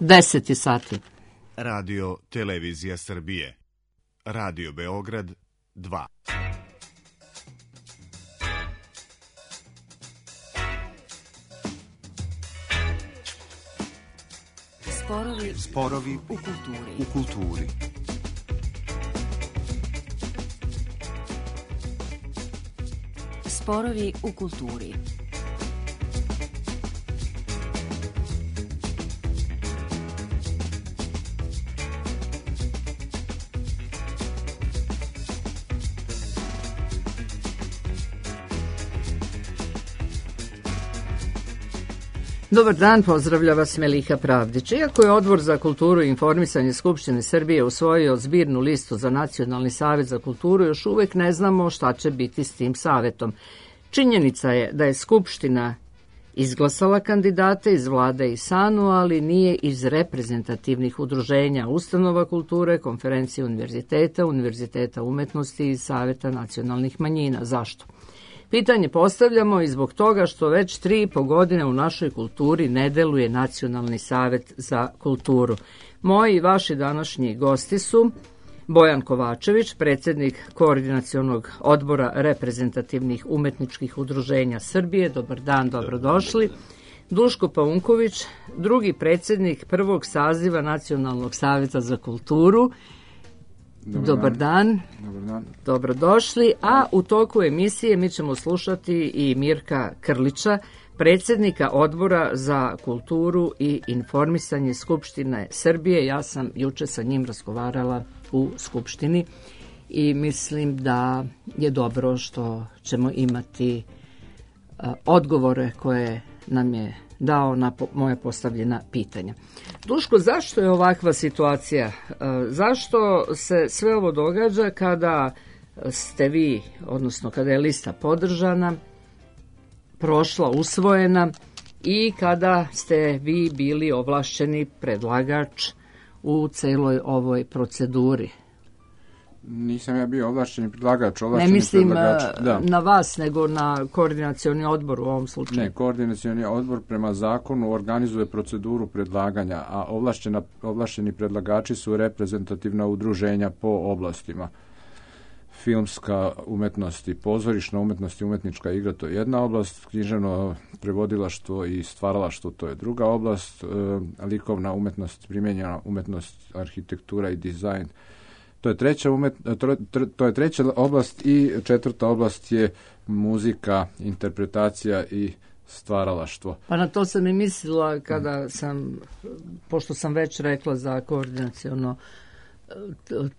10 sati. Radio Televizija Srbije. Radio Beograd 2. Sporovi u kulturi. Sporovi u kulturi. Dobar dan, pozdravlja vas Meliha Pravdić. Iako je Odbor za kulturu i informisanje Skupštine Srbije usvojio zbirnu listu za Nacionalni savet za kulturu, još uvek ne znamo šta će biti s tim savetom. Činjenica je da je Skupština izglasala kandidate iz vlade i SANU, ali nije iz reprezentativnih udruženja, ustanova kulture, konferencije univerziteta umetnosti i Saveta nacionalnih manjina. Zašto? Pitanje postavljamo i zbog toga što već 3,5 godine u našoj kulturi ne deluje Nacionalni savet za kulturu. Moji i vaši današnji gosti su Bojan Kovačević, predsjednik Koordinacionog odbora reprezentativnih umetničkih udruženja Srbije. Dobar dan, dobrodošli. Duško Paunković, drugi predsjednik prvog saziva Nacionalnog saveta za kulturu. Dobar dan. Dobrodošli. A u toku emisije mi ćemo slušati i Mirka Krlića, predsjednika Odbora za kulturu i informisanje Skupštine Srbije. Ja sam juče sa njim razgovarala u Skupštini i mislim da je dobro što ćemo imati odgovore koje nam je dao na moje postavljena pitanja. Duško, zašto je ovakva situacija? Zašto se sve ovo događa kada ste vi, odnosno kada je lista podržana, prošla, usvojena i kada ste vi bili ovlašćeni predlagač u celoj ovoj proceduri? Nisam ja bio ovlašćeni predlagač. Ne mislim na vas, nego na koordinacioni odbor u ovom slučaju. Ne, koordinacioni odbor prema zakonu organizuje proceduru predlaganja, a ovlašćeni predlagači su reprezentativna udruženja po oblastima. Filmska umetnost i pozorišna umetnost i umetnička igra, to je jedna oblast, književno prevodilaštvo i stvaralaštvo, to je druga oblast, likovna umetnost, primijenjena umetnost, arhitektura i dizajn, to je treća oblast i četvrta oblast je muzika, interpretacija i stvaralaštvo. Pa na to sam i mislila kada sam, pošto sam već rekla za koordinaciono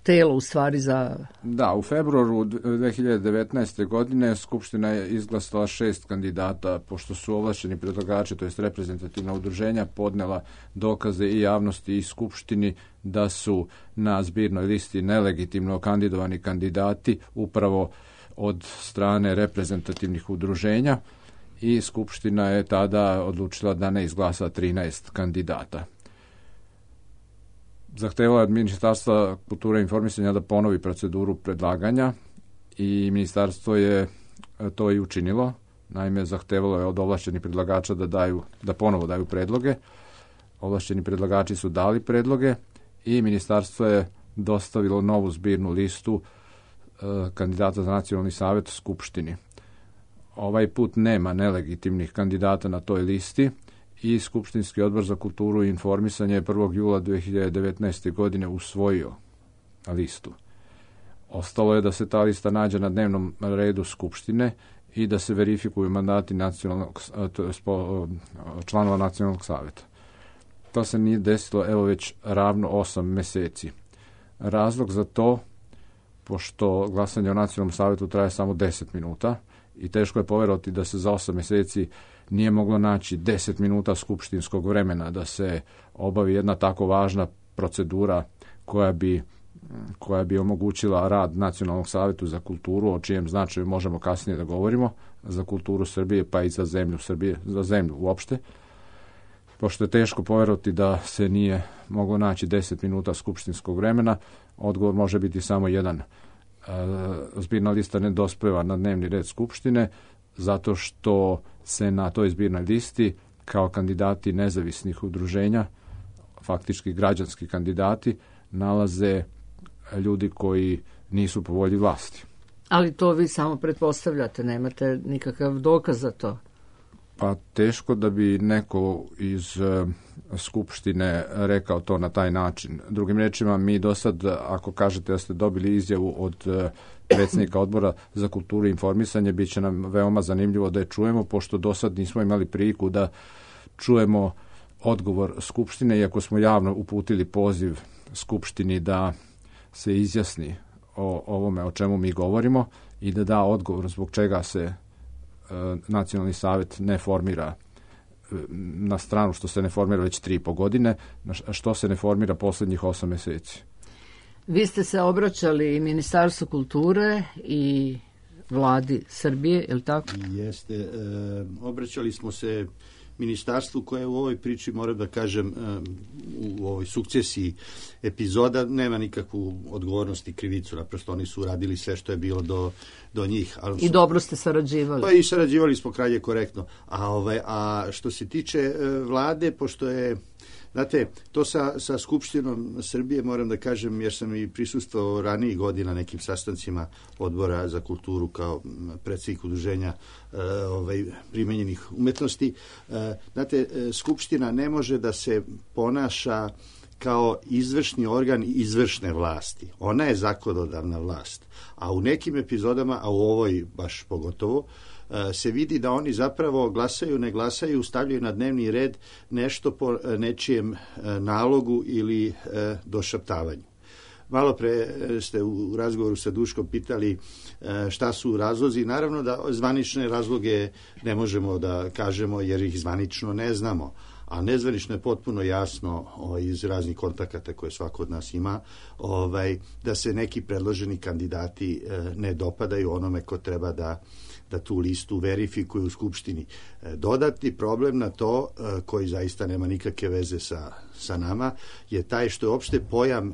telo u stvari za... Da, u februaru 2019. godine Skupština je izglasala 6 kandidata, pošto su ovlašćeni predlagači, to jest reprezentativna udruženja, podnela dokaze i javnosti i Skupštini da su na zbirnoj listi nelegitimno kandidovani kandidati upravo od strane reprezentativnih udruženja i Skupština je tada odlučila da ne izglasa 13 kandidata. Zahtevalo je od Ministarstva kulture i informisanja da ponovi proceduru predlaganja i ministarstvo je to i učinilo. Naime, zahtevalo je od ovlašćenih predlagača da ponovo daju predloge. Ovlašćeni predlagači su dali predloge i ministarstvo je dostavilo novu zbirnu listu kandidata za Nacionalni savet Skupštini. Ovaj put nema nelegitimnih kandidata na toj listi i Skupštinski odbor za kulturu i informisanje je 1. jula 2019. godine usvojio listu. Ostalo je da se ta lista nađe na dnevnom redu Skupštine i da se verifikuju mandati članova Nacionalnog saveta. To se nije desilo evo već ravno 8 meseci. Razlog za to, pošto glasanje o Nacionalnom savetu traje samo 10 minuta i teško je poverovati da se za 8 meseci nije moglo naći 10 minuta skupštinskog vremena da se obavi jedna tako važna procedura koja bi omogućila rad Nacionalnog savetu za kulturu, o čijem značaju možemo kasnije da govorimo, za kulturu Srbije pa i za zemlju Srbije, za zemlju uopšte. Pošto je teško poverovati da se nije moglo naći 10 minuta skupštinskog vremena, odgovor može biti samo jedan. Zbirna lista ne dospeva na dnevni red Skupštine, zato što se na toj zbirnoj listi kao kandidati nezavisnih udruženja faktički građanski kandidati, nalaze ljudi koji nisu po volji vlasti. Ali to vi samo pretpostavljate, nemate nikakav dokaz za to. Pa teško da bi neko iz Skupštine rekao to na taj način. Drugim rečima, mi do sad, ako kažete da ste dobili izjavu od predsjednika Odbora za kulturu i informisanje, bit će nam veoma zanimljivo da je čujemo, pošto do sad nismo imali priliku da čujemo odgovor Skupštine, iako smo javno uputili poziv Skupštini da se izjasni o ovome o čemu mi govorimo i da da odgovor zbog čega se Nacionalni savjet ne formira, na stranu što se ne formira već 3,5 godine, što se ne formira posljednjih 8 mjeseci. Vi ste se obraćali i Ministarstvu kulture i vladi Srbije, je li tako? Jeste. Obraćali smo se ministarstvu koje u ovoj priči, moram da kažem, u ovoj sukcesiji epizoda nema nikakvu odgovornost i krivicu. Naprosto oni su uradili sve što je bilo do njih. Ali I dobro ste sarađivali. Pa i sarađivali smo krajnje korektno. A što se tiče vlade, pošto je, znate, to sa Skupštinom Srbije, moram da kažem, jer sam i prisustvovao ranijih godina nekim sastancima Odbora za kulturu kao predsjednik udruženja primenjenih umetnosti. Znate, Skupština ne može da se ponaša kao izvršni organ izvršne vlasti. Ona je zakonodavna vlast. A u nekim epizodama, a u ovoj baš pogotovo, se vidi da oni zapravo glasaju, ne glasaju, stavljaju na dnevni red nešto po nečijem nalogu ili došaptavanju. Malo pre ste u razgovoru sa Duškom pitali šta su razlozi. Naravno da zvanične razloge ne možemo da kažemo jer ih zvanično ne znamo. A nezvanično je potpuno jasno iz raznih kontakata koje svako od nas ima, da se neki predloženi kandidati ne dopadaju onome ko treba da tu listu verifikuje u Skupštini. Dodatni problem na to, koji zaista nema nikakve veze sa nama, je taj što je opšte pojam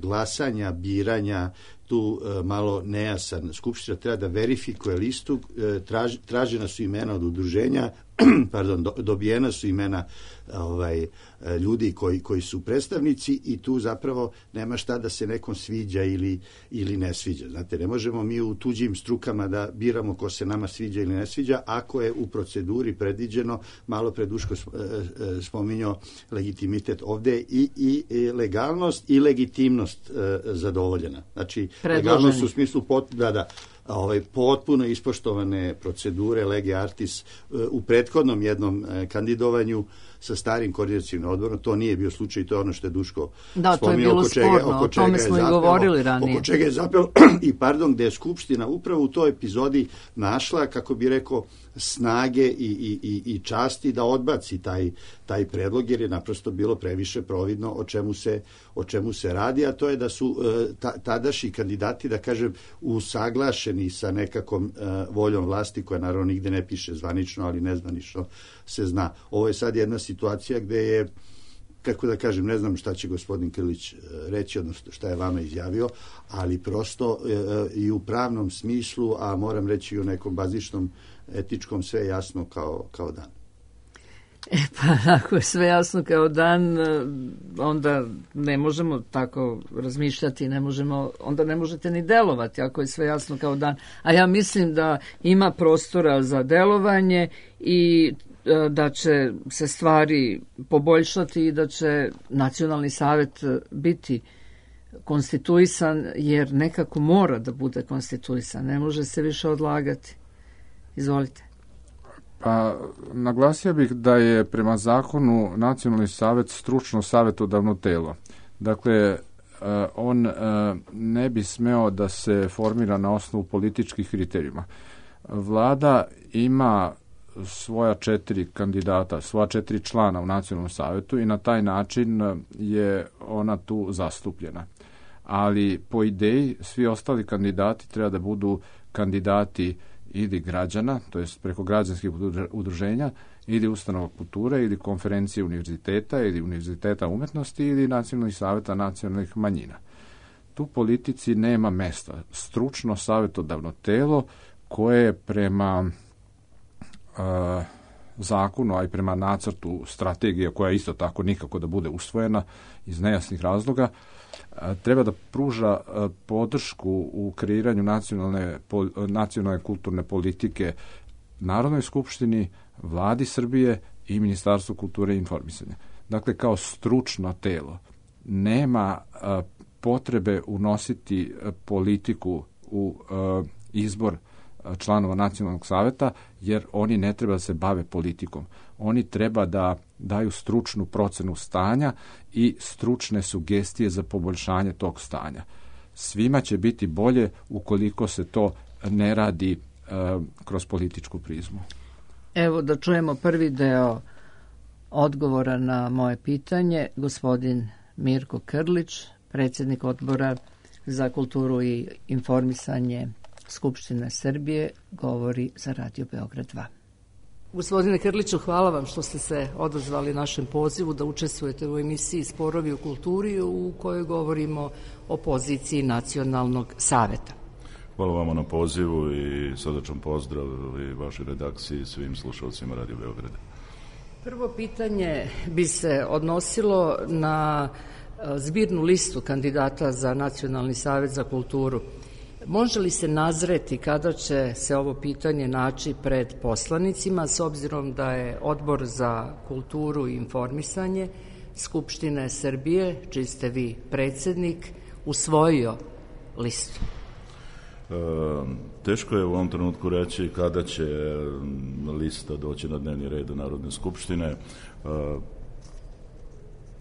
glasanja, biranja tu malo nejasan. Skupština treba da verifikuje listu, tražena su imena od udruženja, dobijena su imena ljudi koji su predstavnici i tu zapravo nema šta da se nekom sviđa ili ne sviđa. Znate, ne možemo mi u tuđim strukama da biramo ko se nama sviđa ili ne sviđa, ako je u proceduri predviđeno, malo pre Duško spominjao legitimitet, ovde i legalnost i legitimnost zadovoljena. Znači, legalnost u smislu potpuno ispoštovane procedure lege artis u prethodnom jednom kandidovanju sa starim koordinacionim odborom. To nije bio slučaj, to je ono što je Duško spominjao. To je bilo sporno, o tome smo i govorili ranije. Oko čega je zapelo gde je Skupština upravo u toj epizodi našla, kako bi rekao, snage i časti da odbaci taj predlog, jer je naprosto bilo previše providno o čemu se radi, a to je da su tadašnji kandidati, da kažem, usaglašeni sa nekakvom voljom vlasti, koja naravno nigde ne piše zvanično, ali nezvanično se zna. Ovo je sad jedna situacija gde je, kako da kažem, ne znam šta će gospodin Krlić reći, odnosno šta je vama izjavio, ali prosto i u pravnom smislu, a moram reći i u nekom bazičnom etičkom, sve jasno kao dan. Pa ako je sve jasno kao dan, onda ne možemo tako razmišljati, onda ne možete ni delovati ako je sve jasno kao dan. A ja mislim da ima prostora za delovanje i da će se stvari poboljšati i da će Nacionalni savjet biti konstituisan, jer nekako mora da bude konstituisan, ne može se više odlagati. Izvolite. Pa, naglasio bih da je prema zakonu Nacionalni savjet stručno savjetodavno telo. Dakle, on ne bi smeo da se formira na osnovu političkih kriterijuma. Vlada ima svoja 4 kandidata, svoja 4 člana u Nacionalnom savjetu i na taj način je ona tu zastupljena. Ali po ideji svi ostali kandidati treba da budu kandidati ili građana, to jest preko građanskih udruženja, ili ustanova kulture, ili konferencije univerziteta, ili univerziteta umetnosti, ili Nacionalnih savjeta nacionalnih manjina. Tu politici nema mesta. Stručno savjetodavno telo koje prema zakonu, a i prema nacrtu strategije, koja je isto tako nikako da bude usvojena iz nejasnih razloga, treba da pruža podršku u kreiranju nacionalne kulturne politike Narodnoj skupštini, Vladi Srbije i Ministarstvu kulture i informisanja. Dakle, kao stručno telo nema potrebe unositi politiku u izbor članova Nacionalnog saveta, jer oni ne treba da se bave politikom. Oni treba da daju stručnu procenu stanja i stručne sugestije za poboljšanje tog stanja. Svima će biti bolje ukoliko se to ne radi kroz političku prizmu. Evo da čujemo prvi deo odgovora na moje pitanje. Gospodin Mirko Krlić, predsjednik Odbora za kulturu i informisanje Skupštine Srbije, govori za Radio Beograd 2. Gospodine Krliću, hvala vam što ste se odazvali našem pozivu da učestvujete u emisiji Sporovi u kulturi, u kojoj govorimo o poziciji Nacionalnog saveta. Hvala vama na pozivu i srdačan pozdrav i vašoj redakciji i svim slušalcima Radio Beograda. Prvo pitanje bi se odnosilo na zbirnu listu kandidata za Nacionalni savet za kulturu. Može li se nazreti kada će se ovo pitanje naći pred poslanicima, s obzirom da je Odbor za kulturu i informisanje Skupštine Srbije, čiji ste vi predsjednik, usvojio listu? Teško je u ovom trenutku reći kada će lista doći na dnevni red Narodne skupštine.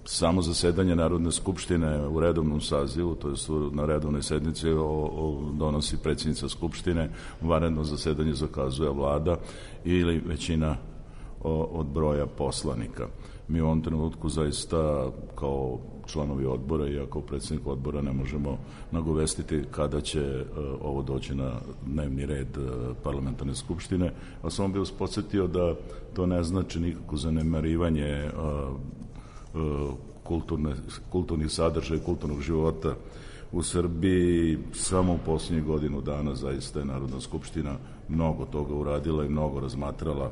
Samo zasedanje Narodne skupštine u redovnom sazivu, to je na redovnoj sednici, donosi predsjednica skupštine, vanredno zasedanje zakazuje vlada ili većina od broja poslanika. Mi u ovom trenutku zaista kao članovi odbora i kao predsjednik odbora ne možemo nagovestiti kada će ovo doći na dnevni red parlamentarne skupštine, a samo bih vas podsjetio da to ne znači nikako zanemarivanje kulturnih sadržaja i kulturnog života u Srbiji. Samo u posljednjih godinu dana zaista je Narodna skupština mnogo toga uradila i mnogo razmatrala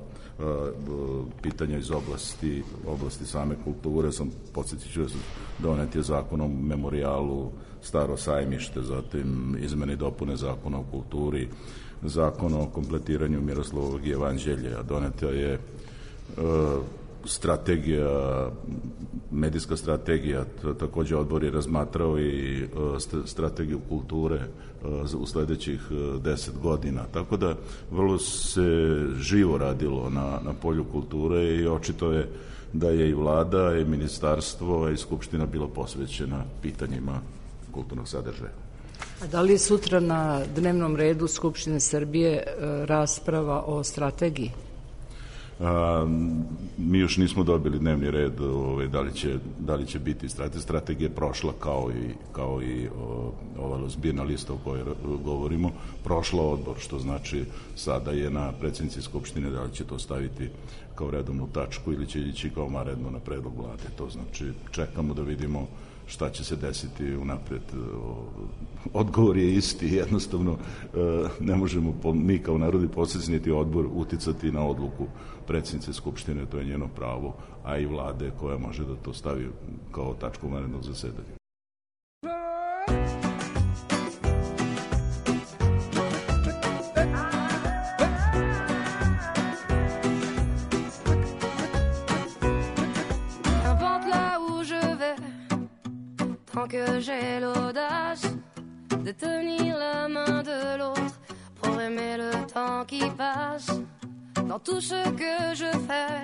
pitanja iz oblasti same kulture. Podsjetit ću donet je zakon o memorijalu Staro sajmište, zatim izmene i dopune zakona o kulturi, zakon o kompletiranju Miroslavovog jevanđelja, doneta je medijska strategija, također odbor je razmatrao i strategiju kulture u sljedećih 10 godina. Tako da vrlo se živo radilo na polju kulture i očito je da je i vlada i ministarstvo i skupština bilo posvećena pitanjima kulturnog sadržaja. A da li je sutra na dnevnom redu Skupštine Srbije rasprava o strategiji? Mi još nismo dobili dnevni red da li će biti strategija prošla kao i ova zbirna lista o kojoj govorimo, prošla odbor, što znači sada je na predsjednici skupštine da li će to staviti kao redovnu tačku ili će ići kao vanredno na predlog vlade. To znači čekamo da vidimo šta će se desiti unapred. Odgovor je isti, jednostavno ne možemo mi kao narodni poslanici niti odbor uticati na odluku predsjednice skupštine, to je njeno pravo, a i vlade koja može da to stavi kao tačku vanrednog zasedanja. Que j'ai l'audace de tenir la main de l'autre pour aimer le temps qui passe. Dans tout ce que je fais,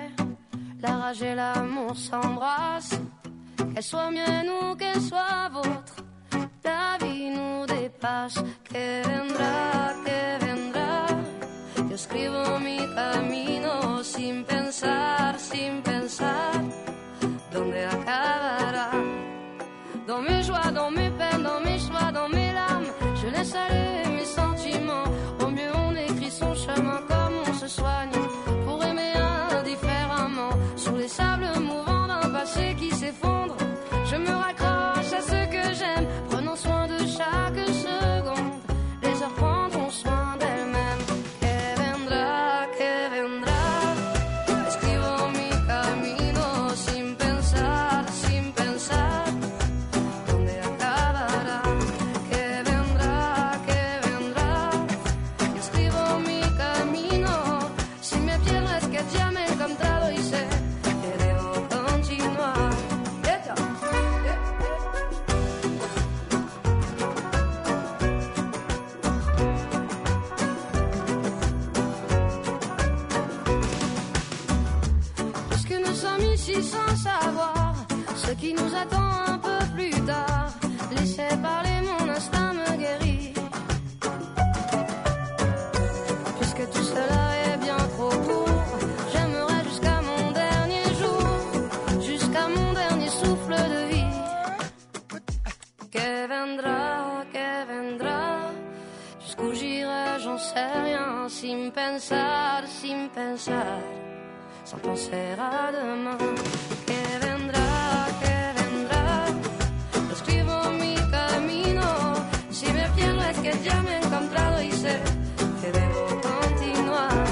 la rage et l'amour s'embrassent. Qu'elle soit mienne ou qu'elle soit vôtre, la vie nous dépasse. Que vendrá, yo escribo mi camino sin pensar, ¿dónde acabará? Dans mes joies, dans mes peines, dans mes choix, dans mes larmes, je laisse aller mes sentiments. Au mieux on écrit son chemin comme on se soigne pour aimer indifféremment. Sur les sables mouvants d'un passé qui s'effondre, je me raccroche à ce que j'aime, prenant soin de chaque seconde. Les heures prendront soin d'elles-mêmes. Que vendrá, qui nous attend un peu plus tard. Laissez parler, mon instinct me guérit. Puisque tout cela est bien trop court, j'aimerais jusqu'à mon dernier jour, jusqu'à mon dernier souffle de vie. Que vendra, jusqu'où j'irai, j'en sais rien, sin pensar, sans penser à demain. Que vendra, lo escribo mi camino, si me pierdo es que ya me he encontrado y sé que debo continuar.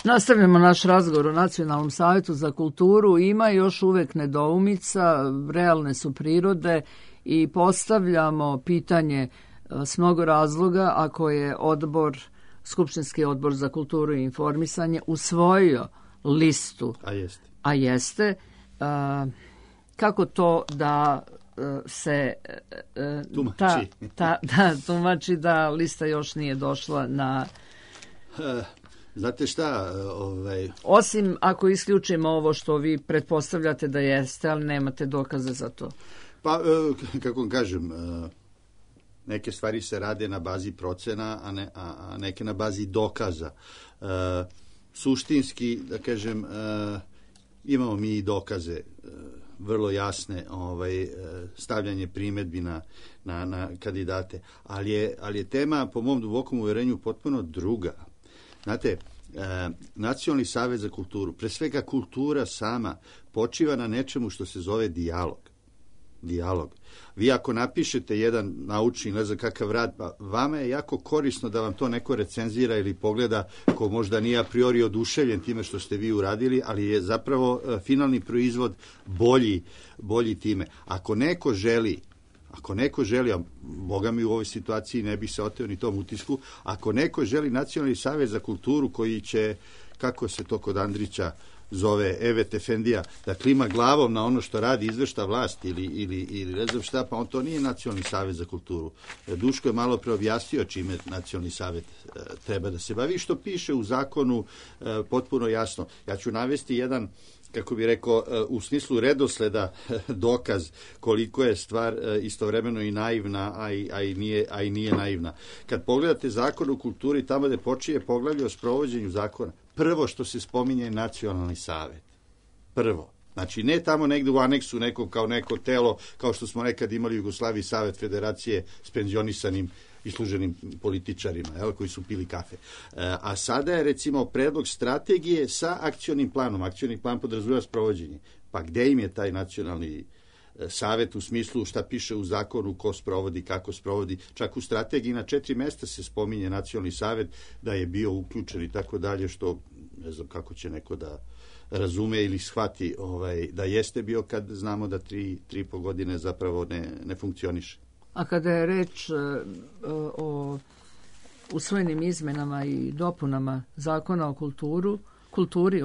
Nastavljamo naš razgovor o Nacionalnom savjetu za kulturu. Ima još uvek nedoumica, realne su prirode i postavljamo pitanje s mnogo razloga ako je Skupštinski odbor za kulturu i informisanje usvojio listu. A jeste. Kako to da se tumači da lista još nije došla na... Znate šta? Osim ako isključimo ovo što vi pretpostavljate da jeste, ali nemate dokaze za to. Pa, kako kažem, neke stvari se rade na bazi procena, a neke na bazi dokaza. Suštinski, da kažem, imamo mi i dokaze vrlo jasne, stavljanje primedbi na kandidate, ali je tema, po mom dubokom uverenju, potpuno druga. Znate, Nacionalni savjet za kulturu, pre svega kultura sama, počiva na nečemu što se zove dijalog. Vi ako napišete jedan naučni, ne znam kakav rad, pa vama je jako korisno da vam to neko recenzira ili pogleda ko možda nije a priori oduševljen time što ste vi uradili, ali je zapravo finalni proizvod bolji time. Ako neko želi, a Boga mi u ovoj situaciji ne bi se oteo ni tom utisku, ako neko želi Nacionalni savjet za kulturu koji će, kako se to kod Andrića zove, Evet Efendija, da klima glavom na ono što radi izvršna vlast ili ne znam šta, pa on to nije Nacionalni savjet za kulturu. Duško je malo preobjasnio čime Nacionalni savjet treba da se bavi, što piše u zakonu potpuno jasno. Ja ću navesti jedan, kako bi rekao, u smislu redosleda dokaz koliko je stvar istovremeno i naivna, a i nije naivna. Kad pogledate zakon o kulturi, tamo gde počinje poglavlje o sprovođenju zakona, prvo što se spominje je Nacionalni savjet. Prvo. Znači, ne tamo negde u aneksu nekom kao neko telo, kao što smo nekad imali u Jugoslaviji Savet Federacije s penzionisanim isluženim političarima, koji su pili kafe. A sada je, recimo, predlog strategije sa akcionim planom. Akcioni plan podrazumeva sprovođenje. Pa gde im je taj Nacionalni savjet u smislu šta piše u zakonu, ko sprovodi, kako sprovodi? Čak u strategiji na 4 mesta se spominje Nacionalni savjet da je bio uključen i tako dalje, što ne znam kako će neko da razume ili shvati da jeste bio kad znamo da 3,5 godine zapravo ne funkcioniše. A kada je reč o usvojenim izmenama i dopunama zakona o kulturi,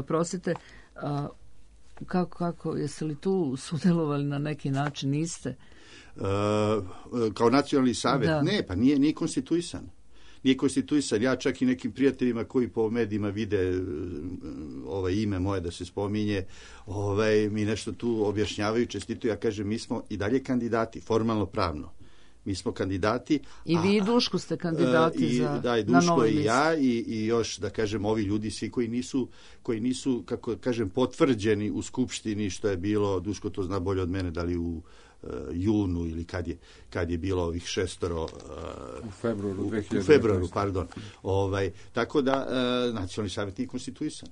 kako, jeste li tu sudjelovali na neki način? Niste? Kao Nacionalni savjet? Da. Ne, pa nije konstituisan. Nije konstituisan. Ja čak i nekim prijateljima koji po medijima vide ime moje da se spominje, mi nešto tu objašnjavaju, čestituju. Ja kažem, mi smo i dalje kandidati, formalno pravno. Mi smo kandidati. I vi i Duško ste kandidati i Duško i ja i još, da kažem, ovi ljudi svi koji nisu, kako kažem, potvrđeni u Skupštini, što je bilo, Duško to zna bolje od mene, da li u junu ili kad je bilo ovih 6 u februaru, pardon. Tako da Nacionalni savjet nije konstituisan.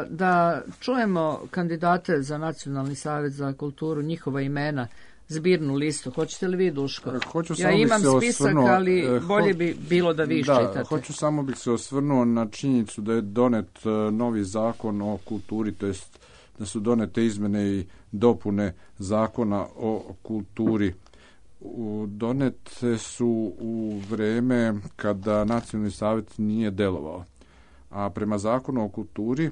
Da čujemo kandidate za Nacionalni savjet za kulturu, njihova imena zbirnu listu. Hoćete li vi, Duško? Hoću, ja imam spisak, ali bolje bi bilo da vi čitate. Hoću samo bih se osvrnuo na činjenicu da je donet novi zakon o kulturi, to jest da su donete izmene i dopune zakona o kulturi. Donete su u vreme kada Nacionalni savjet nije delovao. A prema zakonu o kulturi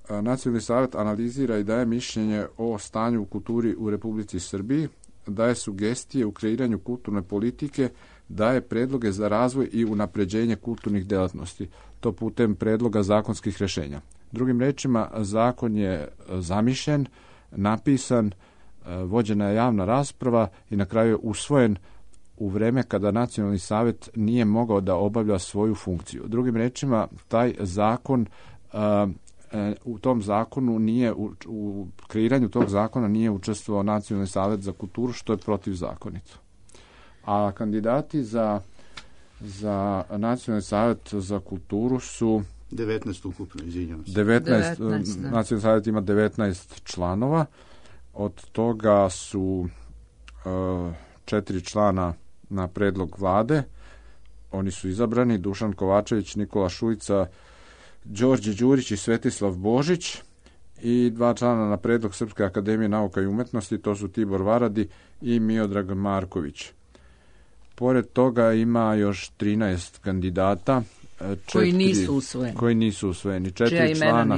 Nacionalni savjet analizira i daje mišljenje o stanju u kulturi u Republici Srbiji, daje sugestije u kreiranju kulturne politike, daje predloge za razvoj i unapređenje kulturnih delatnosti, to putem predloga zakonskih rješenja. Drugim rečima, zakon je zamišljen, napisan, vođena je javna rasprava i na kraju je usvojen u vreme kada Nacionalni savjet nije mogao da obavlja svoju funkciju. Drugim rečima, taj zakon u tom zakonu nije, u kreiranju tog zakona nije učestvovao Nacionalni savjet za kulturu, što je protivzakonito. A kandidati za Nacionalni savjet za kulturu su 19 ukupno, izvinjavam se. 19, Nacionalni savjet ima 19 članova, od toga su 4 člana na predlog vlade, oni su izabrani: Dušan Kovačević, Nikola Šujica, Đorđe Đurić i Svetislav Božić, i 2 člana na predlog Srpske akademije nauka i umetnosti, to su Tibor Varadi i Miodrag Marković. Pored toga ima još 13 kandidata koji nisu usvojeni. 4 člana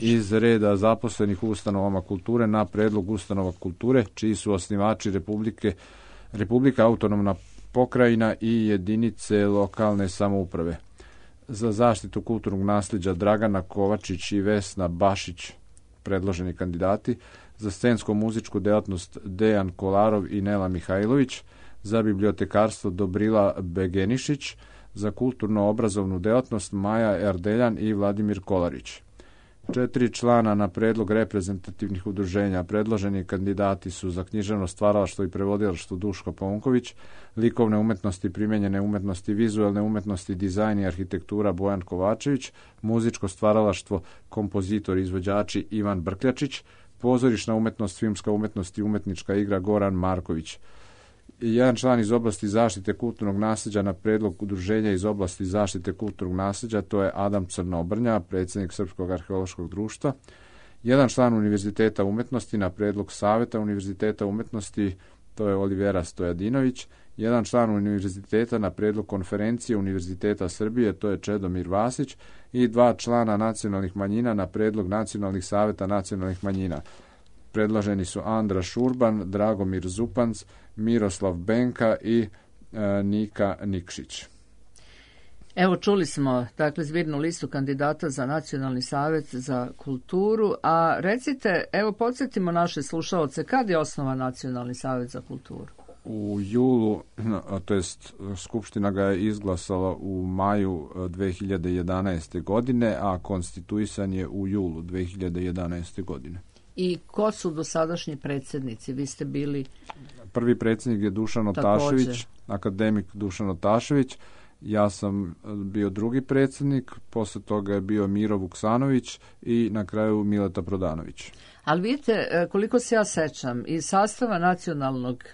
iz reda zaposlenih u ustanovama kulture na predlog ustanova kulture, čiji su osnivači Republika, autonomna pokrajina i jedinice lokalne samouprave. Za zaštitu kulturnog nasljeđa Dragana Kovačić i Vesna Bašić, predloženi kandidati. Za scensko-muzičku delatnost Dejan Kolarov i Nela Mihajlović. Za bibliotekarstvo Dobrila Begenišić. Za kulturno-obrazovnu delatnost Maja Erdeljan i Vladimir Kolarić. 4 člana na predlog reprezentativnih udruženja. Predloženi kandidati su za književno stvaralaštvo i prevodilaštvo Duško Paunković, likovne umetnosti, primenjene umetnosti, vizualne umetnosti, dizajn i arhitektura Bojan Kovačević, muzičko stvaralaštvo, kompozitor i izvođači Ivan Brkljačić, pozorišna umetnost, filmska umetnost i umetnička igra Goran Marković. Jedan član iz oblasti zaštite kulturnog nasljeđa na predlog udruženja iz oblasti zaštite kulturnog nasljeđa, to je Adam Crnobrnja, predsjednik Srpskog arheološkog društva. Jedan član Univerziteta umetnosti na predlog Saveta Univerziteta umetnosti, to je Olivera Stojadinović. Jedan član univerziteta na predlog Konferencije Univerziteta Srbije, to je Čedomir Vasić. I 2 člana nacionalnih manjina na predlog Nacionalnih saveta nacionalnih manjina. Predloženi su Andra Šurban, Dragomir Zupanc, Miroslav Benka i Nika Nikšić. Evo, čuli smo dakle zbirnu listu kandidata za Nacionalni savjet za kulturu, a recite, evo podsjetimo naše slušaoce, kad je osnovan Nacionalni savjet za kulturu? U julu, to jest Skupština ga je izglasala u maju 2011. godine, a konstituisan je u julu 2011. godine. I ko su dosadašnji predsjednici? Vi ste bili... Prvi predsjednik je Dušan Otašević, akademik Dušan Otašević. Ja sam bio drugi predsjednik, posle toga je bio Miro Vuksanović i na kraju Mileta Prodanović. Ali vidite, koliko se ja sećam, iz sastava Nacionalnog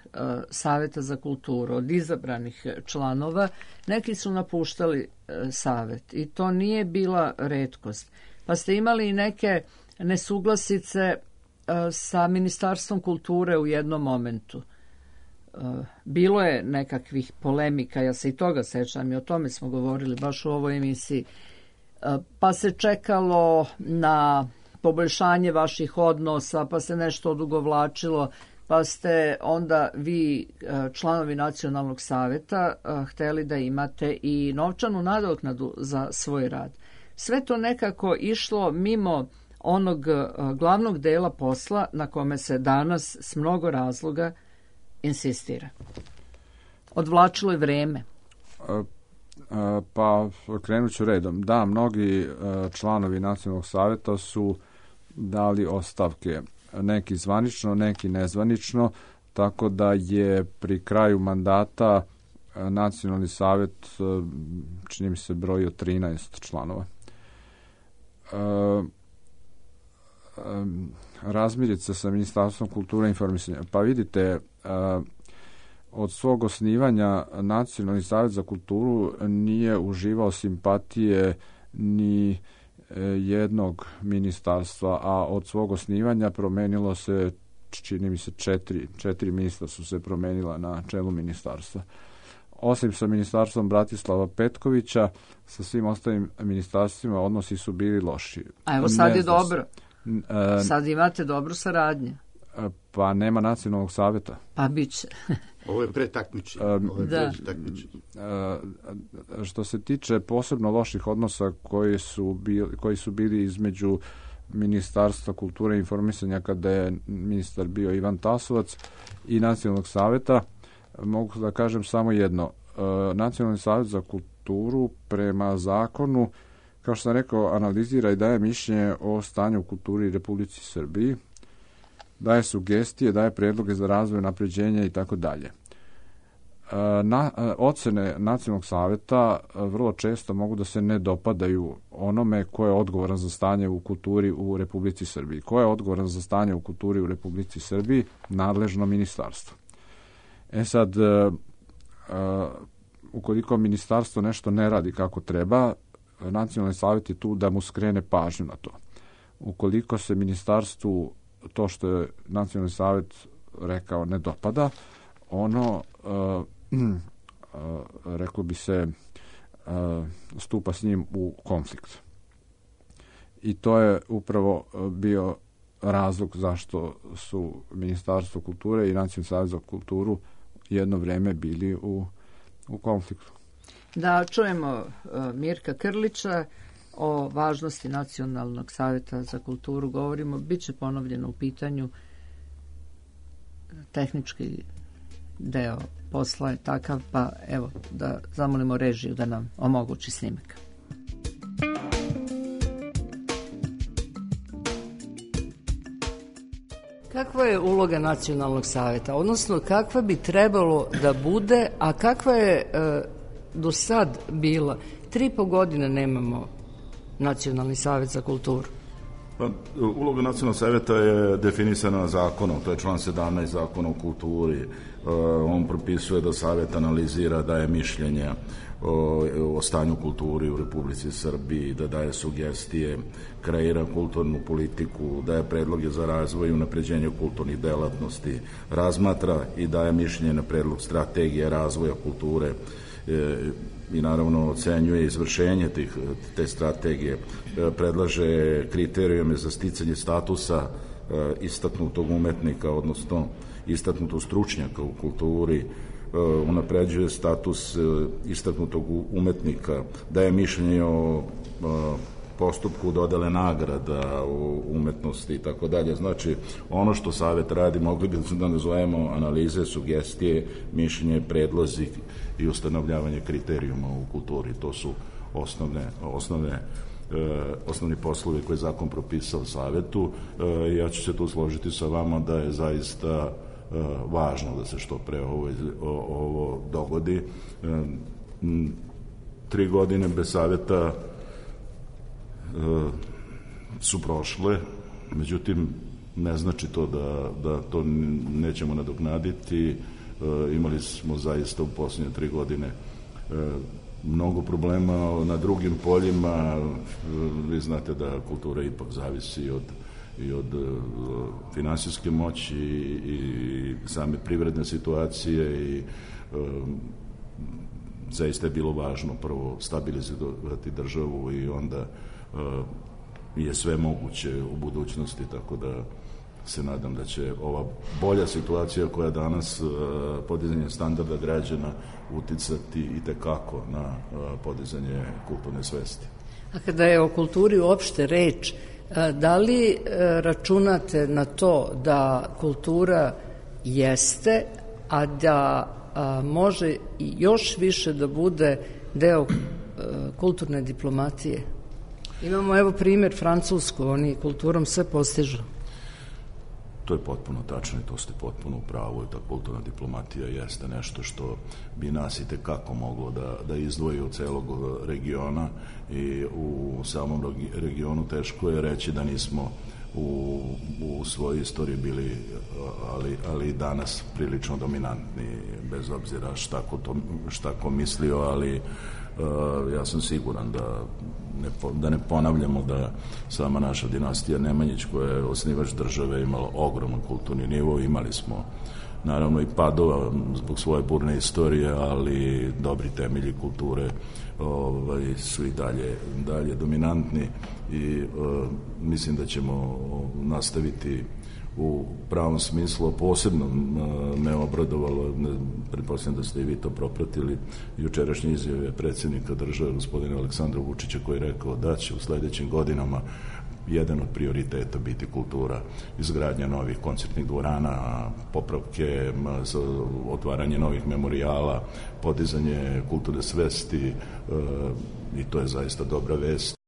savjeta za kulturu, od izabranih članova, neki su napuštali savjet i to nije bila retkost. Pa ste imali i neke nesuglasice sa Ministarstvom kulture u jednom momentu. Bilo je nekakvih polemika, ja se i toga sećam i o tome smo govorili baš u ovoj emisiji. Pa se čekalo na poboljšanje vaših odnosa, pa se nešto odugovlačilo, pa ste onda vi, članovi Nacionalnog savjeta, hteli da imate i novčanu nadoknadu za svoj rad. Sve to nekako išlo mimo onog glavnog dela posla na kome se danas s mnogo razloga insistira. Odvlačilo je vreme. Pa krenut ću redom. Da, mnogi članovi Nacionalnog savjeta su dali ostavke. Neki zvanično, neki nezvanično, tako da je pri kraju mandata Nacionalni savjet, čini mi se, brojio 13 članova. razmirica sa Ministarstvom kulture i informisanja. Pa vidite, od svog osnivanja Nacionalni savjet za kulturu nije uživao simpatije ni jednog ministarstva, a od svog osnivanja promenilo se, čini mi se, četiri ministra su se promenila na čelu ministarstva. Osim sa ministarstvom Bratislava Petkovića, sa svim ostalim ministarstvima odnosi su bili loši. A evo sad je dobro. Sad imate dobru saradnju. Pa nema Nacionalnog savjeta. Pa bit će. Ovo je pretakmiče. Što se tiče posebno loših odnosa koji su bili između Ministarstva kulture i informisanja kada je ministar bio Ivan Tasovac i Nacionalnog savjeta, mogu da kažem samo jedno. Nacionalni savjet za kulturu prema zakonu, kao što sam rekao, analizira i daje mišljenje o stanju u kulturi Republici Srbiji, daje sugestije, daje predloge za razvoj, napređenja i tako dalje. Ocene Nacionalnog savjeta vrlo često mogu da se ne dopadaju onome ko je odgovoran za stanje u kulturi u Republici Srbiji. Ko je odgovoran za stanje u kulturi u Republici Srbiji? Nadležno ministarstvo. Sad, ukoliko ministarstvo nešto ne radi kako treba, Nacionalni savjet je tu da mu skrene pažnju na to. Ukoliko se ministarstvu to što je Nacionalni savjet rekao ne dopada, ono reklo bi se stupa s njim u konflikt. I to je upravo bio razlog zašto su Ministarstvo kulture i Nacionalni savjet za kulturu jedno vreme bili u konfliktu. Da čujemo Mirka Krlića o važnosti Nacionalnog savjeta za kulturu. Govorimo, bit će ponovljeno u pitanju, tehnički deo posla je takav, pa evo da zamolimo režiju da nam omogući snimak. Kakva je uloga Nacionalnog savjeta, odnosno kakva bi trebalo da bude, a kakva je do sad bila? 3,5 godine nemamo Nacionalni savjet za kulturu. Pa, uloga Nacionalnog savjeta je definisana zakonom, to je član 17 Zakona o kulturi. On propisuje da savjet analizira, daje mišljenja o stanju kulturi u Republici Srbiji, da daje sugestije, kreira kulturnu politiku, daje predloge za razvoj i unapređenje kulturnih delatnosti, razmatra i daje mišljenje na predlog strategije razvoja kulture i naravno ocenjuje izvršenje te strategije, predlaže kriterijume za sticanje statusa istaknutog umetnika, odnosno istaknutog stručnjaka u kulturi, unapređuje status istaknutog umetnika, daje mišljenje o postupku dodele nagrada u umetnosti i tako dalje. Znači, ono što savjet radi, mogli bi da nazovemo analize, sugestije, mišljenje, predlozi i ustanovljavanje kriterijuma u kulturi. To su osnovni poslovi koje je zakon propisao savjetu. Ja ću se tu složiti sa vama da je zaista važno da se što pre ovo dogodi. 3 godine bez savjeta su prošle, međutim ne znači to da to nećemo nadoknaditi. Imali smo zaista u posljednje 3 godine mnogo problema na drugim poljima. Vi znate da kultura ipak zavisi i od finansijske moći i same privredne situacije i zaista je bilo važno prvo stabilizovati državu i onda je sve moguće u budućnosti, tako da se nadam da će ova bolja situacija koja danas podizanje standarda građana uticati i tekako na podizanje kulturne svesti. A kada je o kulturi uopšte reč, da li računate na to da kultura jeste, a da može i još više da bude deo kulturne diplomatije? Imamo evo primjer Francusku, oni kulturom sve postižu. To je potpuno tačno i to ste potpuno u pravu i ta kulturna diplomatija jeste nešto što bi nas i tekako moglo da izdvoji od celog regiona i u samom regionu teško je reći da nismo u svojoj istoriji bili, ali i danas prilično dominantni, bez obzira šta ko mislio, ali ja sam siguran da ne ponavljamo da sama naša dinastija Nemanjić, koja je osnivač države, imala ogroman kulturni nivo. Imali smo naravno i padova zbog svoje burne istorije, ali dobri temelji kulture su i dalje dominantni i mislim da ćemo nastaviti u pravom smislu. Posebno me obradovalo, pretpostavljam da ste i vi to propratili, jučerašnje izjave predsjednika države, gospodina Aleksandra Vučića, koji je rekao da će u sledećim godinama jedan od prioriteta biti kultura, izgradnja novih koncertnih dvorana, popravke, otvaranje novih memorijala, podizanje kulturne svesti, i to je zaista dobra vest.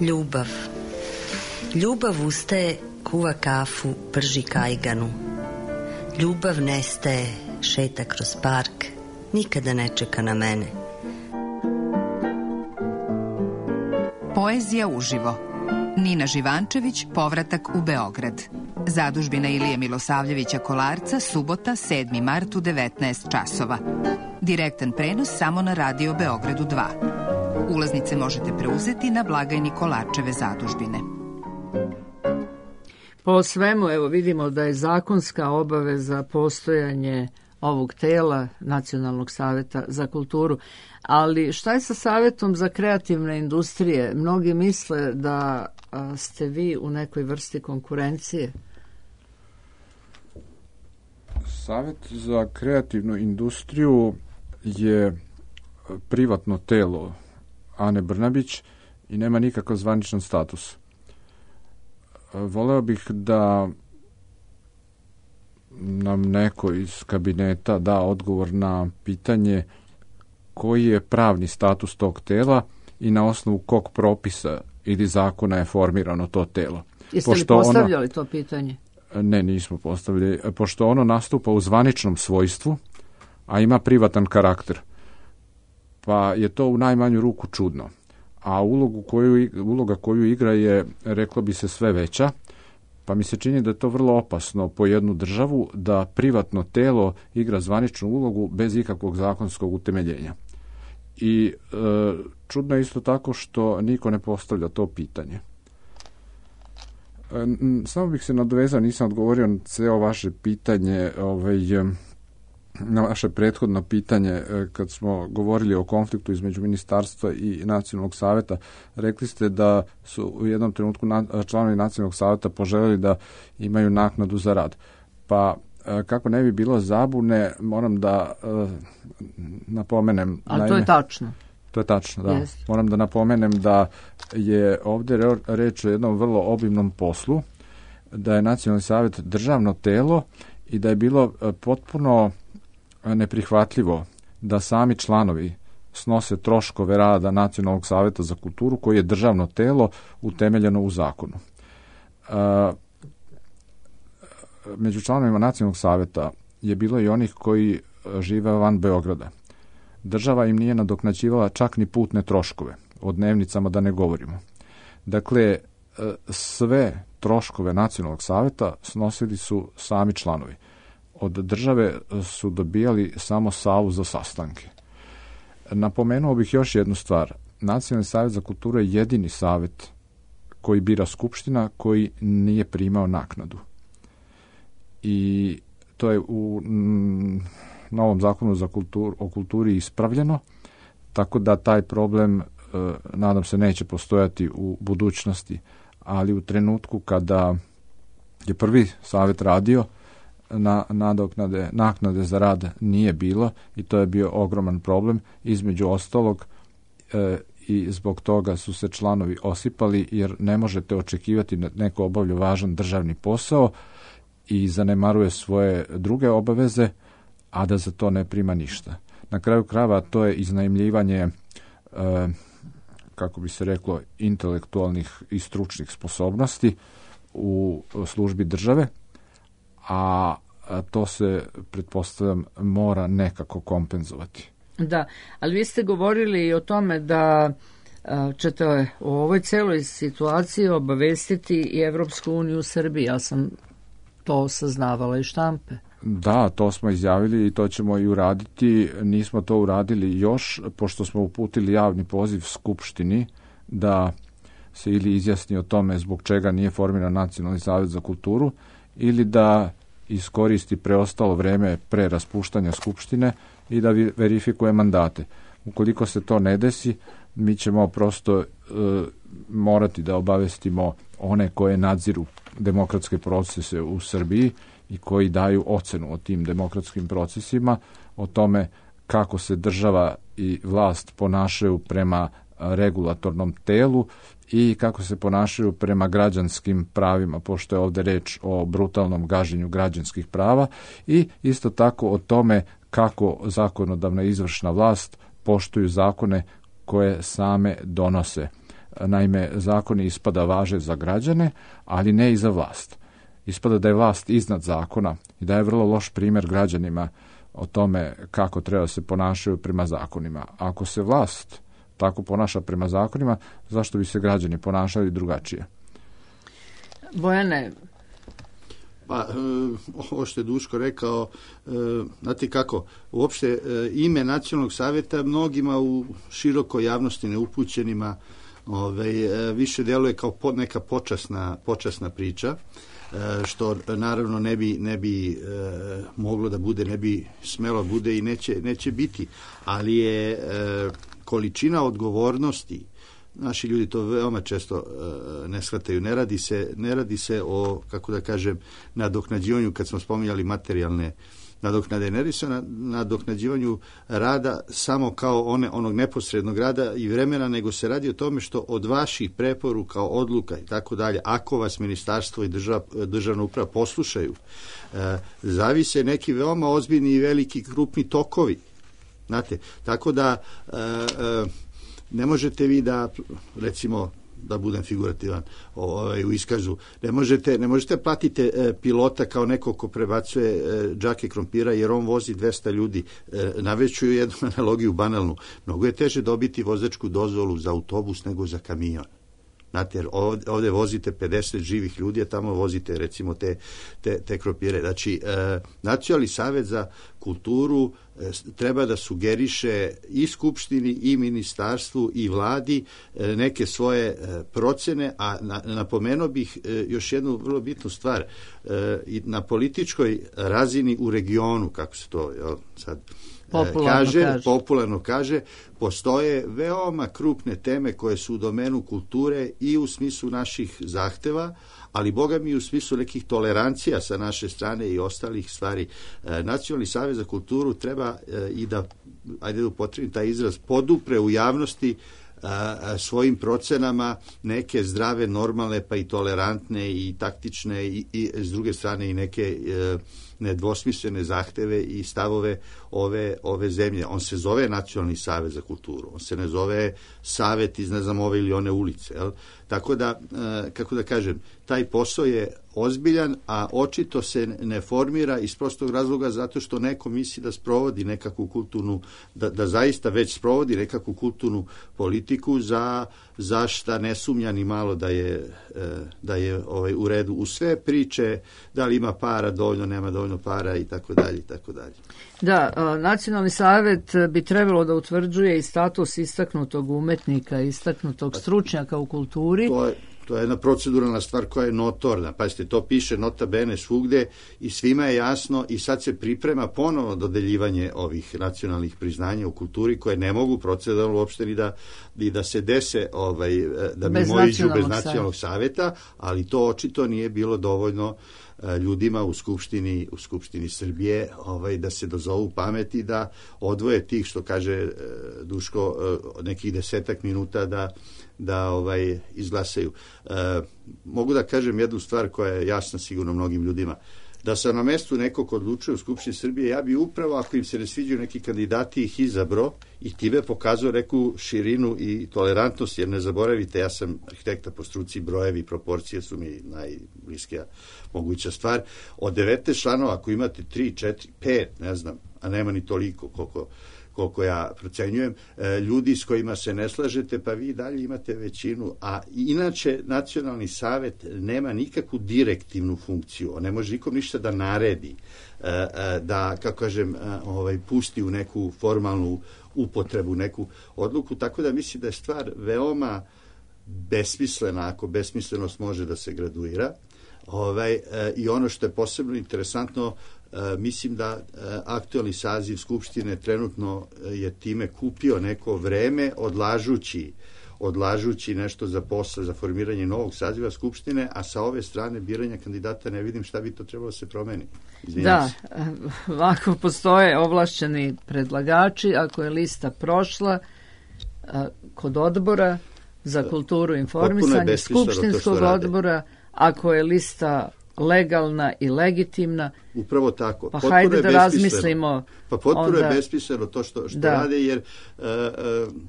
Ljubav. Ljubav ustaje, kuva kafu, prži kajganu. Ljubav nestaje, šeta kroz park, nikada ne čeka na mene. Poezija uživo. Nina Živančević, Povratak u Beograd. Zadužbina Ilije Milosavljevića Kolarca, subota, 7. mart u 19 časova. direktan prenos samo na Radio Beogradu 2. Ulaznice možete preuzeti na blagajni Kolarčeve zadužbine. Po svemu, evo vidimo da je zakonska obaveza postojanje ovog tela Nacionalnog saveta za kulturu, ali šta je sa Savetom za kreativne industrije? Mnogi misle da ste vi u nekoj vrsti konkurencije. Savet za kreativnu industriju je privatno telo Ane Brnabić i nema nikakav zvaničan status. Voleo bih da nam neko iz kabineta da odgovor na pitanje koji je pravni status tog tela i na osnovu kog propisa ili zakona je formirano to telo. Jeste li postavljali to pitanje? Ne, nismo postavili. Pošto ono nastupa u zvaničnom svojstvu, a ima privatan karakter, pa je to u najmanju ruku čudno. A uloga koju igra je, reklo bi se, sve veća, pa mi se čini da je to vrlo opasno po jednu državu da privatno telo igra zvaničnu ulogu bez ikakvog zakonskog utemeljenja. I čudno je isto tako što niko ne postavlja to pitanje. Samo bih se nadovezao, nisam odgovorio na ceo vaše pitanje, na vaše prethodno pitanje kad smo govorili o konfliktu između ministarstva i Nacionalnog saveta. Rekli ste da su u jednom trenutku članovi Nacionalnog saveta poželjeli da imaju naknadu za rad. Pa kako ne bi bilo zabune, moram da napomenem... Ali to je tačno. To je tačno, da. Yes. Moram da napomenem da je ovdje reč o jednom vrlo obimnom poslu, da je Nacionalni savjet državno telo i da je bilo potpuno neprihvatljivo da sami članovi snose troškove rada Nacionalnog savjeta za kulturu, koji je državno telo utemeljeno u zakonu. Među članovima Nacionalnog savjeta je bilo i onih koji žive van Beograda. Država im nije nadoknađivala čak ni putne troškove, o dnevnicama da ne govorimo. Dakle, sve troškove Nacionalnog savjeta snosili su sami članovi. Od države su dobijali samo salu za sastanke. Napomenuo bih još jednu stvar. Nacionalni savjet za kulturu je jedini savjet koji bira Skupština koji nije primao naknadu. I to je u novom zakonu o kulturi ispravljeno, tako da taj problem, nadam se, neće postojati u budućnosti, ali u trenutku kada je prvi savjet radio, naknade za rad nije bilo i to je bio ogroman problem. Između ostalog i zbog toga su se članovi osipali, jer ne možete očekivati da neko obavlja važan državni posao i zanemaruje svoje druge obaveze, a da za to ne prima ništa. Na kraju krajeva to je iznajmljivanje, kako bi se reklo, intelektualnih i stručnih sposobnosti u službi države, a to se, pretpostavljam, mora nekako kompenzovati. Da, ali vi ste govorili i o tome da ćete u ovoj celoj situaciji obavestiti i Evropsku uniju u Srbiji. Ja sam to saznavala iz štampe. Da, to smo izjavili i to ćemo i uraditi. Nismo to uradili još, pošto smo uputili javni poziv Skupštini da se ili izjasni o tome zbog čega nije formiran Nacionalni savjet za kulturu, ili da iskoristi preostalo vreme pre raspuštanja Skupštine i da verifikuje mandate. Ukoliko se to ne desi, mi ćemo prosto morati da obavestimo one koje nadziru demokratske procese u Srbiji i koji daju ocenu o tim demokratskim procesima, o tome kako se država i vlast ponašaju prema regulatornom telu i kako se ponašaju prema građanskim pravima, pošto je ovdje reč o brutalnom gaženju građanskih prava, i isto tako o tome kako zakonodavna i izvršna vlast poštuju zakone koje same donose. Naime, zakoni ispada važe za građane, ali ne i za vlast. Ispada da je vlast iznad zakona i da je vrlo loš primjer građanima o tome kako treba se ponašaju prema zakonima. Ako se vlast tako ponaša prema zakonima, zašto bi se građani ponašali drugačije? Bojane? Pa, ovo što je Duško rekao, znate kako, uopšte ime Nacionalnog savjeta mnogima u širokoj javnosti neupućenima više djeluje kao neka počasna priča, što naravno ne bi moglo da bude, ne bi smelo bude i neće biti, ali je količina odgovornosti, naši ljudi to veoma često ne shvataju, ne radi se o, kako da kažem, nadoknađivanju, kad smo spominjali materijalne nadoknade, ne radi se o nadoknađivanju rada samo kao onog neposrednog rada i vremena, nego se radi o tome što od vaših preporuka, odluka i tako dalje, ako vas ministarstvo i državna uprava poslušaju, zavise neki veoma ozbiljni i veliki krupni tokovi. Znate, tako da ne možete vi da, recimo, da budem figurativan u iskazu, ne možete platiti pilota kao neko ko prebacuje džake krompira, jer on vozi 200 ljudi. Navešću jednu analogiju banalnu. Mnogo je teže dobiti vozačku dozvolu za autobus nego za kamion. Znate, jer ovdje vozite 50 živih ljudi, a tamo vozite recimo te krompire. Znači, Nacionalni savjet za kulturu treba da sugeriše i Skupštini i ministarstvu i vladi neke svoje procene, a napomenuo bih još jednu vrlo bitnu stvar. Na političkoj razini u regionu, kako se to sad popularno kaže, postoje veoma krupne teme koje su u domenu kulture i u smislu naših zahteva, ali Boga mi u smislu nekih tolerancija sa naše strane i ostalih stvari. Nacionalni savjet za kulturu treba i da, ajde da upotrebim taj izraz, podupre u javnosti svojim procenama neke zdrave, normalne, pa i tolerantne i taktične i s druge strane i neke nedvosmislene zahteve i stavove ove zemlje. On se zove Nacionalni savjet za kulturu. On se ne zove savjet iz, ne znam, ove ili one ulice. Jel? Tako da, kako da kažem, taj posao je ozbiljan, a očito se ne formira iz prostog razloga zato što neko misli da sprovodi nekakvu kulturnu, da zaista već sprovodi nekakvu kulturnu politiku za šta ne sumnja ni malo da je u redu. U sve priče, da li ima para dovoljno, nema dovoljno para i tako dalje i tako dalje. Da, Nacionalni savjet bi trebalo da utvrđuje i status istaknutog umetnika, istaknutog stručnjaka u kulturi. To je jedna proceduralna stvar koja je notorna. Pazite, to piše nota bene svugde i svima je jasno i sad se priprema ponovo dodeljivanje ovih nacionalnih priznanja u kulturi koje ne mogu proceduralno uopšte ni da se dese da mimoiđu bez nacionalnog savjeta, ali to očito nije bilo dovoljno ljudima u Skupštini Srbije da se dozovu pameti, da odvoje tih, što kaže Duško, nekih 10 minuta da izglasaju. Mogu da kažem jednu stvar koja je jasna sigurno mnogim ljudima. Da sam na mestu nekog odlučuje u Skupštini Srbije, ja bi upravo, ako im se ne sviđaju neki kandidati, ih izabro i time pokazao neku širinu i tolerantnost, jer ne zaboravite, ja sam arhitekta po struci, brojevi i proporcije su mi najbliskija moguća stvar. Od 19 članova, ako imate 3, 4, 5, ne znam, a nema ni toliko koliko ja procenjujem, ljudi s kojima se ne slažete, pa vi dalje imate većinu, a inače Nacionalni savjet nema nikakvu direktivnu funkciju, on ne može nikom ništa da naredi, da, kako kažem, pusti u neku formalnu upotrebu, neku odluku, tako da mislim da je stvar veoma besmislena, ako besmislenost može da se graduira, i ono što je posebno interesantno, mislim da aktualni saziv Skupštine trenutno je time kupio neko vreme odlažući nešto za posao, za formiranje novog saziva Skupštine, a sa ove strane biranja kandidata ne vidim šta bi to trebalo se promeni. Da, ako postoje ovlašćeni predlagači, ako je lista prošla kod odbora za kulturu i informisanje, skupštinskog odbora, ako je lista legalna i legitimna. Upravo tako. Pa hajde da razmislimo. Pa potpuno je besmisleno to što rade, jer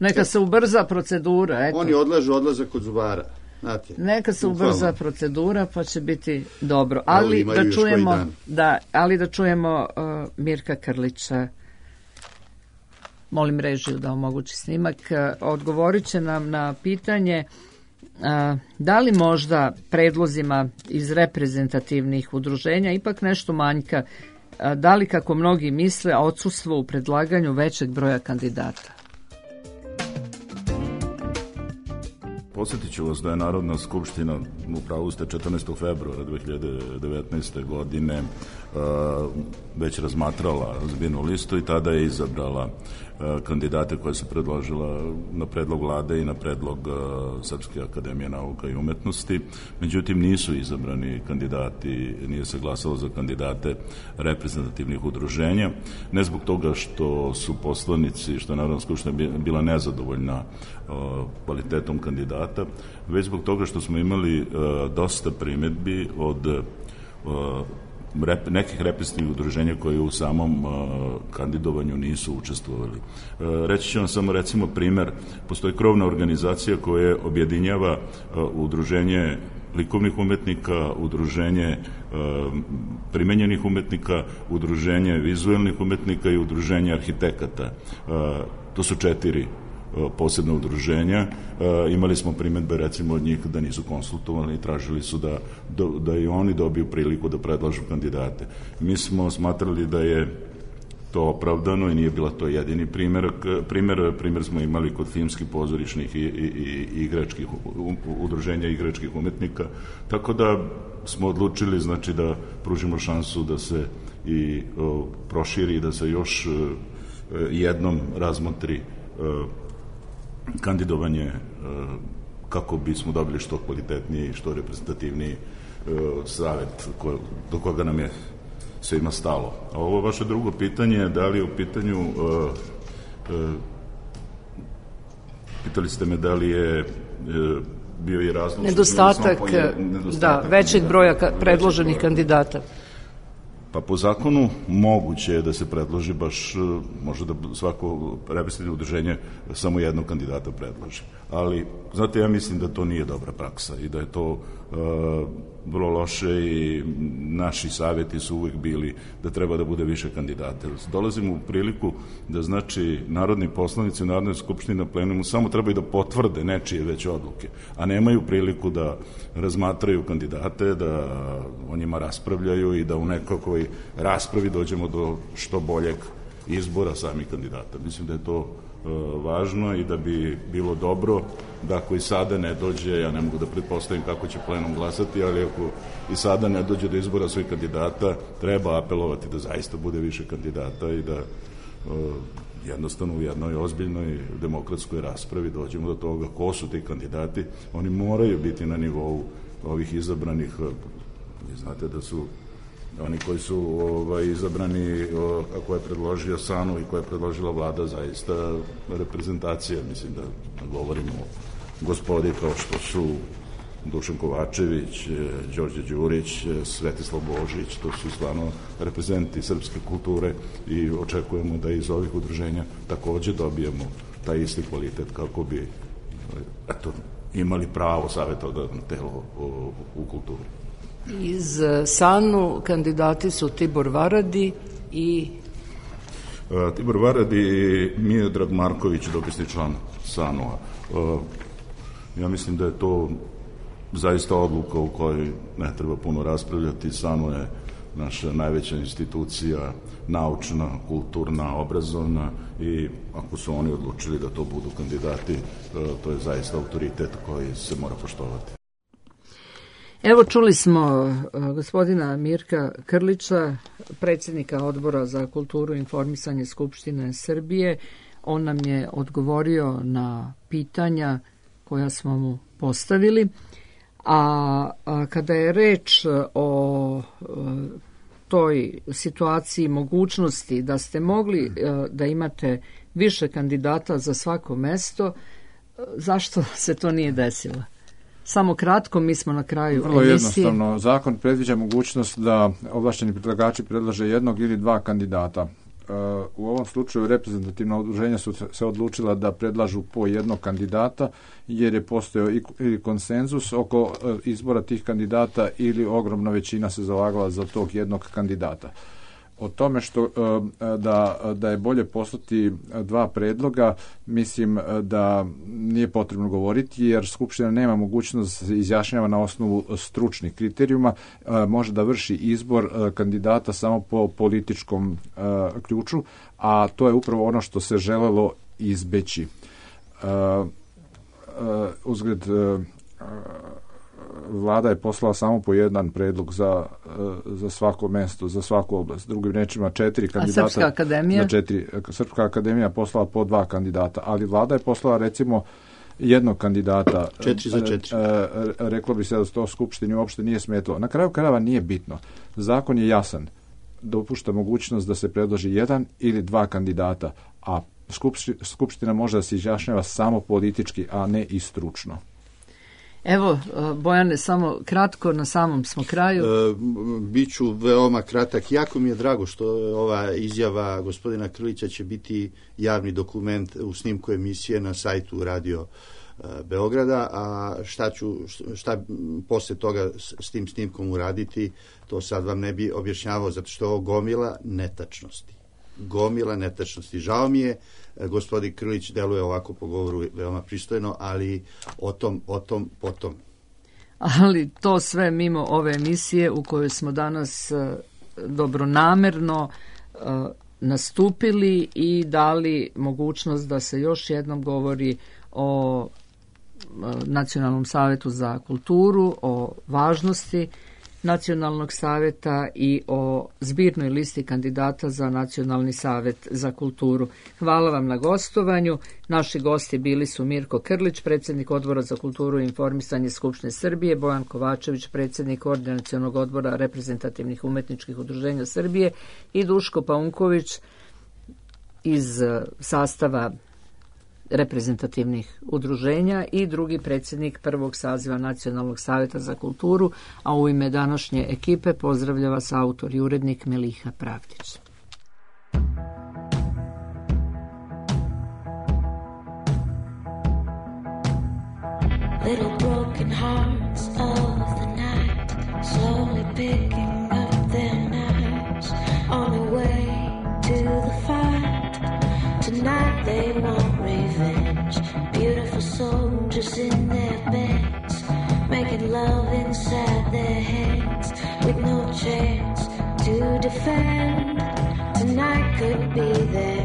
neka se ubrza procedura. Eto. Oni odlažu odlazak kod zubara. Znate, neka se ubrza procedura, pa će biti dobro. Ali da čujemo Mirka Krlića. Molim režiju da omogući snimak. Odgovorit će nam na pitanje da li možda predlozima iz reprezentativnih udruženja ipak nešto manjka, da li kako mnogi misle odsustvo u predlaganju većeg broja kandidata? Podsjetit ću vas da je Narodna skupština, upravo ste 14. februara 2019. godine već razmatrala zbirnu listu i tada je izabrala kandidate koje se predložila na predlog vlade i na predlog Srpske akademije nauka i umetnosti. Međutim, nisu izabrani kandidati, nije se glasalo za kandidate reprezentativnih udruženja, ne zbog toga što su poslanici, što je Narodna skupština bila nezadovoljna kvalitetom kandidata, već zbog toga što smo imali dosta primedbi od nekih reprezentativnih udruženja koje u samom kandidovanju nisu učestvovali. Reći ću vam samo recimo primer, postoji krovna organizacija koja objedinjava udruženje likovnih umetnika, udruženje primenjenih umetnika, udruženje vizuelnih umetnika i udruženje arhitekata. To su 4 posebna udruženja. Imali smo primedbe recimo od njih da nisu konsultovali i tražili su da i oni dobiju priliku da predlažu kandidate. Mi smo smatrali da je to opravdano i nije bila to jedini primer smo imali kod filmskih, pozorišnih i igračkih udruženja igračkih umetnika, tako da smo odlučili znači da pružimo šansu da se i proširi i da se još jednom razmotri kandidovanje kako bismo dobili što kvalitetniji i što reprezentativniji savet do koga nam je svima stalo. A ovo vaše drugo pitanje, da li je u pitanju pitali ste me da li je bio i razlog nedostatak većeg broja predloženih kandidata. Pa po zakonu moguće je da se predloži baš, može da svako reprezentativno udruženje samo jednog kandidata predloži. Ali, znate, ja mislim da to nije dobra praksa i da je to vrlo loše i naši savjeti su uvijek bili da treba da bude više kandidata. Dolazimo u priliku da znači narodni poslanici u Narodnoj skupštini na plenumu samo trebaju da potvrde nečije već odluke, a nemaju priliku da razmatraju kandidate, da o njima raspravljaju i da u nekakvoj raspravi dođemo do što boljeg izbora samih kandidata. Mislim da je to važno i da bi bilo dobro da ako i sada ne dođe, ja ne mogu da pretpostavim kako će plenum glasati, ali ako i sada ne dođe do izbora svojih kandidata, treba apelovati da zaista bude više kandidata i da jednostavno u jednoj ozbiljnoj demokratskoj raspravi dođemo do toga ko su ti kandidati. Oni moraju biti na nivou ovih izabranih, znate da su oni koji su izabrani, a koje je predložio SANU i koje je predložila vlada, zaista reprezentacija, mislim da govorimo o gospodi kao što su Dušan Kovačević, Đorđe Đurić, Svetislav Božić, to su stvarno reprezenti srpske kulture i očekujemo da iz ovih udruženja takođe dobijemo taj isti kvalitet kako bi imali pravo savjetodavno telo u kulturi. Iz SANU kandidati su Tibor Varadi i Tibor Varadi i Miodrag Marković, dopisni član SANU-a. Ja mislim da je to zaista odluka u kojoj ne treba puno raspravljati. SANU je naša najveća institucija, naučna, kulturna, obrazovna i ako su oni odlučili da to budu kandidati, to je zaista autoritet koji se mora poštovati. Evo čuli smo gospodina Mirka Krlića, predsjednika Odbora za kulturu i informisanje Skupštine Srbije. On nam je odgovorio na pitanja koja smo mu postavili. A kada je reč o toj situaciji mogućnosti da ste mogli da imate više kandidata za svako mesto, zašto se to nije desilo? Samo kratko, mi smo na kraju Vrlo emisije. Jednostavno, zakon predviđa mogućnost da ovlašteni predlagači predlaže jednog ili dva kandidata. U ovom slučaju reprezentativna udruženja su se odlučila da predlažu po jednog kandidata jer je postojao ili konsenzus oko izbora tih kandidata ili ogromna većina se zalagala za tog jednog kandidata. O tome što da je bolje poslati dva predloga, mislim da nije potrebno govoriti, jer Skupština nema mogućnost da se izjašnjava na osnovu stručnih kriterijuma, može da vrši izbor kandidata samo po političkom ključu, a to je upravo ono što se želelo izbeći. Uzgled, Vlada je poslala samo po jedan predlog za svako mesto, za svaku oblast. Drugim rečima 4 kandidata. A Srpska akademija? Srpska akademija poslala po 2 kandidata, ali Vlada je poslala recimo jednog kandidata. 4 za 4. Reklo bi se da to Skupštini uopšte nije smetalo. Na kraju krajeva nije bitno. Zakon je jasan. Dopušta mogućnost da se predloži 1 ili 2 kandidata, a Skupština može da se izjašnjava samo politički, a ne i stručno. Evo, Bojane, samo kratko, na samom smo kraju. Biću veoma kratak. Jako mi je drago što ova izjava gospodina Krlića će biti javni dokument u snimku emisije na sajtu Radio Beograda, a šta posle toga s tim snimkom uraditi, to sad vam ne bi objašnjavao, zato što je ovo gomila netačnosti. Žao mi je, gospodin Krlić deluje ovako po govoru veoma pristojno, ali o tom potom. Ali to sve mimo ove emisije u kojoj smo danas dobronamerno nastupili i dali mogućnost da se još jednom govori o Nacionalnom savetu za kulturu, o važnosti Nacionalnog saveta i o zbirnoj listi kandidata za Nacionalni savet za kulturu. Hvala vam na gostovanju. Naši gosti bili su Mirko Krlić, predsjednik Odbora za kulturu i informisanje Skupštine Srbije, Bojan Kovačević, predsjednik Koordinacionog odbora reprezentativnih umetničkih udruženja Srbije i Duško Paunković iz sastava reprezentativnih udruženja i drugi predsjednik prvog saziva Nacionalnog saveta za kulturu, a u ime današnje ekipe pozdravlja vas autor i urednik Meliha Pravdić. Little broken hearts of the night, slowly picking up their knives on the way to the fight. Tonight they want revenge, beautiful soldiers in their beds, making love inside their heads with no chance to defend. Tonight could be their